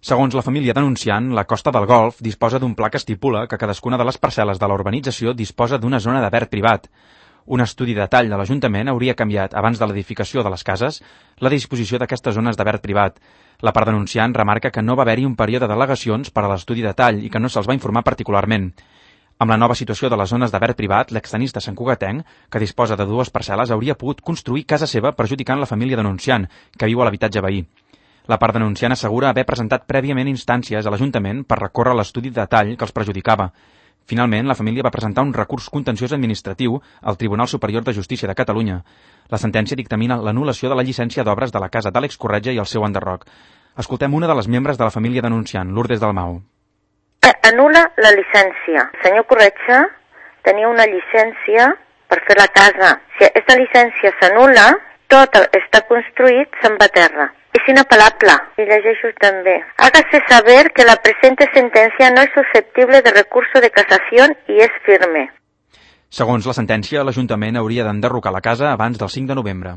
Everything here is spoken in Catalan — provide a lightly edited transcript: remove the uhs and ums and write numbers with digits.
Segons la família denunciant, la Costa del Golf disposa d'un pla que estipula que cadascuna de les parcel·les de la urbanització disposa d'una zona de verd privat. Un estudi de detall de l'Ajuntament hauria canviat, abans de l'edificació de les cases, la disposició d'aquestes zones de verd privat. La part denunciant remarca que no va haver-hi un període d'al·legacions per a l'estudi de detall i que no se'ls va informar particularment. Amb la nova situació de les zones de verd privat, l'extenista santcugatenc, que disposa de 2 parcel·les, hauria pogut construir casa seva perjudicant la família denunciant, que viu a l'habitatge veí. La part denunciant assegura haver presentat prèviament instàncies a l'Ajuntament per recórrer l'estudi de detall que els perjudicava. Finalment, la família va presentar un recurs contenciós administratiu al Tribunal Superior de Justícia de Catalunya. La sentència dictamina l'anul·lació de la llicència d'obres de la casa d'Àlex Corretja i el seu enderroc. Escoltem una de les membres de la família denunciant, Lourdes Dalmau. Anul·la la llicència. El senyor Corretja tenia una llicència per fer la casa. Si aquesta llicència s'anul·la, tot està construït, se'n va a terra. Es inapelable. Y llegeixo també. Hágase saber que la presente sentencia no es susceptible de recurso de casación y es firme. Segons la sentència, l'Ajuntament hauria d'enderrocar la casa abans del 5 de novembre.